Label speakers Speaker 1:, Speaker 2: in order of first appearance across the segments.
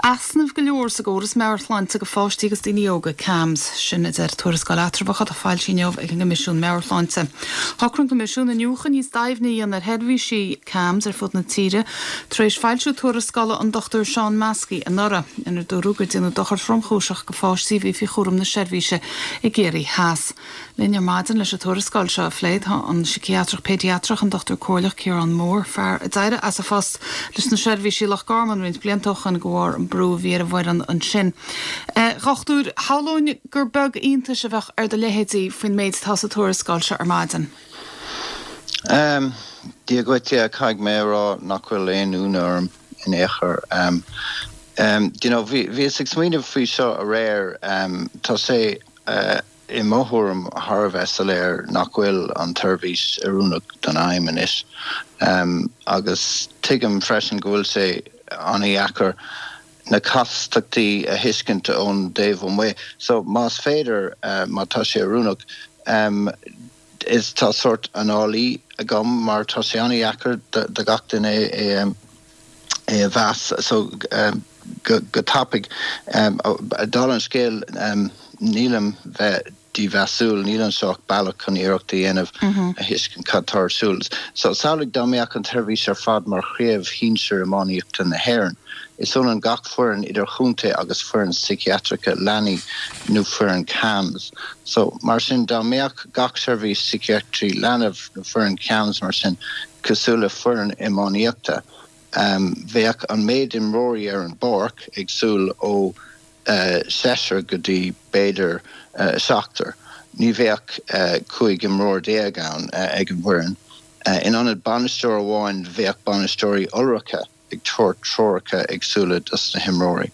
Speaker 1: Easnaimh go leor sa gcóras meabhairshláinte do pháistí agus daoine óga, CAMHS, sin a deir tuarascáil eatramhach atá foilsithe inniu ag an gCoimisiún Meabhairshláinte. Shocraigh an Coimisiún iniúchadh níos doimhne a dhéanamh ar sheirbhísí CAMHS ar fud na tíre tar éis foilsiú tuarascála an Dr Seán Maskey anuraidh, inar dúradh gur déanadh dochar tromchúiseach do pháistí a bhí faoi chúram na seirbhíse i gCiarraí Theas. Linn ar maidin leis an tuarascáil seo a phlé tá an Síciatrach Péidiatrach, an Dr Comhairleach Ciarán Moore, fear a d'éirigh as a phost leis na seirbhísí i Loch Garman roinnt blianta ó shoin de bharr an brú a bhí ar an bhfoireann ansin. A Dhochtúir, shamhlóinn gur beag iontais a bheadh ar do leithéidí faoin méid atá sa tuarascáil seo ar maidin.
Speaker 2: Dia dhuit, yeah, caithfidh mé a rá nach bhfuil aon ionadh orm in aon chor. You know, bhíos ag smaoineamh faoi seo aréir, tá sé, i mo thuairim, thar a bheith soiléir nach bhfuil an tseirbhís oiriúnach don fheidhm anois. Agus tuigim freisin go bhfuil sé an-dheacair na castachtaí a thuiscint ón dtaobh amuigh. So, más féidir, má tá sé oiriúnach, is tá sórt análaí agam mar tá sé an-dheacair do gach duine é é a mheas so go tapaidh. Dála an scéil, nílim bheith dímheasúil, níl anseo ach bealach chun iarracht a dhéanamh a thuiscint cad tá ar siúl. So samhlaigh dá mbeadh an tseirbhís ar fad mar chraobh shinsir iománaíochta na hÉireann. Is ionann gach foireann idirchontae agus foireann síciatracha leanaí nó foireann CAMHS. So mar sin dá mbeadh gach seirbhís síciatraí leanbh nó foireann CAMHS mar sin cosúil le foireann iománaíochta, bheadh an méid imreoirí ar an bpáirc éagsúil ó seisear go dtí b'fhéidir seachtar. Ní bheadh 15 imreoir ann ag an bhfoireann. In ionad bainisteoir amháin bheadh bainisteoirí iolracha ag tabhairt treoracha éagsúla dos na himreoirí.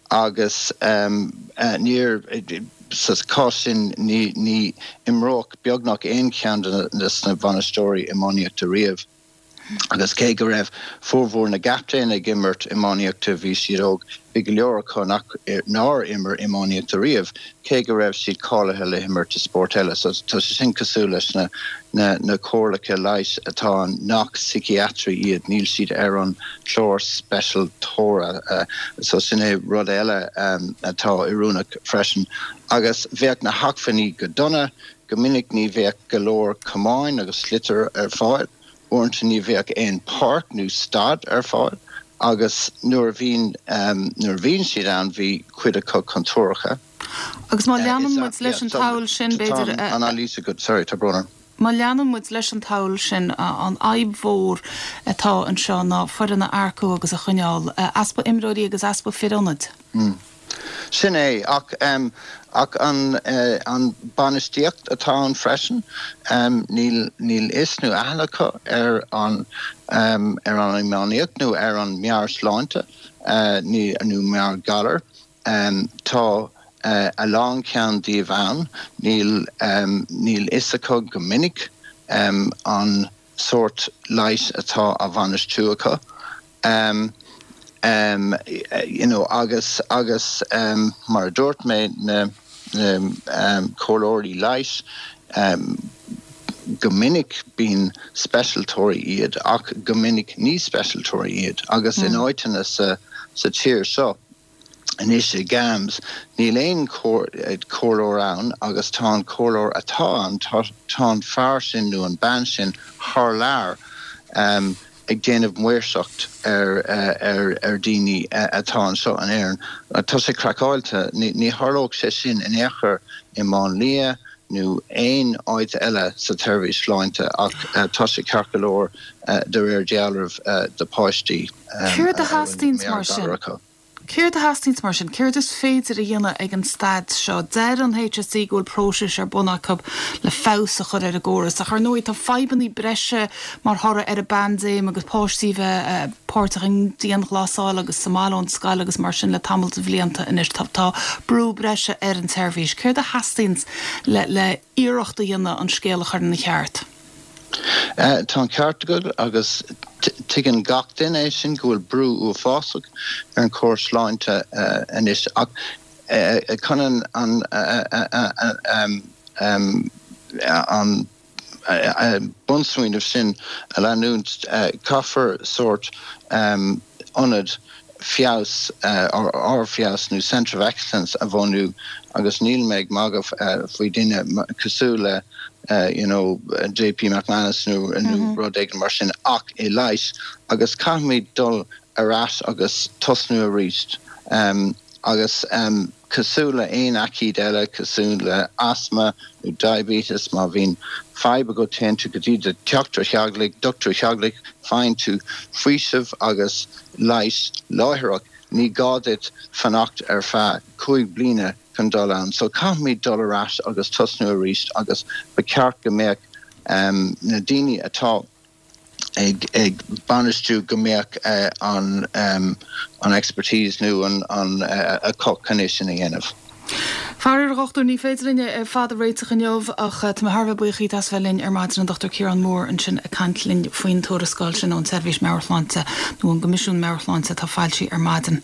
Speaker 2: Agus níor, sa chás sin, ní imreodh beagnach aon cheann de na bainisteoirí iománaíochta riamh. Agus cé go raibh formhór na gcaptaen ag imirt iománaíochta bhí siad óg, bhí go leor acu nach, nár imir iománaíocht ariamh, cé go raibh siad cáilithe le himirt i spórt eile. So tá sé sin cosúil leis na, na, na comhairleacha leighis atá ann nach síciatraí iad, níl siad ar an chlár speisialtóra. So sin é rud eile atá oiriúnach freisin. Agus bheadh na hacmhainní go dona, go minic ní bheadh go leor camáin agus sliotar ar fáil, uaireanta ní bheadh aon páirc nó staid ar fáil agus nuair a bhíonn, nuair a bhíonn siad ann bhí cuid acu contúirteach.
Speaker 1: Agus má leanann muid leis an tsamhail sin, b'fhéidir,
Speaker 2: Tá an anailís agat, sorry, tá brón orm.
Speaker 1: Má leanann muid leis an tsamhail sin, an fhadhb mhór atá anseo ná foireann a earcú agus a choinneáil, easpa imreoirí agus easpa fir ionaid.
Speaker 2: Sin é, ach ach an an bainistíocht atá ann freisin, níl níl fhios nó aithne acu ar an ar an iománaíocht nó ar an meabhairshláinte nó meabhairghalair. Tá a lán ceann díobh ann, níl níl fhios acu go minic an sórt leighis atá á bhainistiú acu. You know agus agus mar a dúirt mé na na comhairleoirí leighis go minic bíonn speisialtóirí iad ach go minic ní speisialtóirí iad agus in áiteanna sa sa tír seo Anois i gCAMHS níl aon chomhairleoir ann agus tá an comhairleoir atá ann, tá an fear sin nó an bean sin thar lear ag déanamh maoirseacht ar ar daoine atá anseo in Éirinn. Tá sé craiceáilte. Ní tharlódh sé sin in aon chor i Máinlia nó aon áit eile sa tseirbhís sláinte ach tá sé ceart go leor de réir dealraimh do pháistí
Speaker 1: a Céard a theastaíonns mar sin? Céard a theastaíonns mar sin? Céard is féidir a dhéanamh ag an staid seo? Deir an HSE go bhfuil próisis ar bun acu le feabhas a chur ar an gcóras ach ar ndóigh tá fadhbanna breise mar thoradh ar an bpaindéim agus páistí a bheith páirteach i ndianghlasáil agus sa mbaile ón scoil agus mar sin le tamall de bhlianta anois. Tá brú breise ar an tseirbhís. Céard a theastaíonns le le iarracht a dhéanamh an scéal a chur ina cheart?
Speaker 2: Tá an ceart agat agus tuigeann gach duine é sin go bhfuil brú uafásach ar an chóras sláinte anois ach chun an an an bunsmaoineamh sin a leanúint, caithfear sórt ionad. feabhas, ardfheabhas nó centre of excellence a bhunú agus níl mé ag magadh faoi duine cosúil le you know JP McManus nó rud éigin mar sin ach i leighis agus caithfimid dul ar ais agus tosnú arís agus cosúil le aon aicíd eile, cosúil le asma nó diabetes, má bhíonn fadhb agat téann tú go dtí do dhochtúir theaghlaigh, dochtúir theaghlaigh, faigheann tú faoiseamh agus leigheas láithreach, ní gá duit fanacht ar feadh 5 bliana chun dul ann. So caithfimid dul ar ais agus tosnú arís agus ba cheart go mbeadh na daoine atá ag bainistiú go mbeadh an expertise nó an acu chun é sin a dhéanamh.
Speaker 1: Faraor, a dhochtúir, ní féidir linn é ar fad a réiteach inniu ach tá mé thar a bheith buíoch díot as bheith linn ar maidin, an Dr Ciarán Moore ansin ag caint linn faoin tuarascáil sin ón tSeirbhís Meabhair-Shláinte nó ón gCoimisiún Meabhair-Shláinte atá foilsithe ar maidin.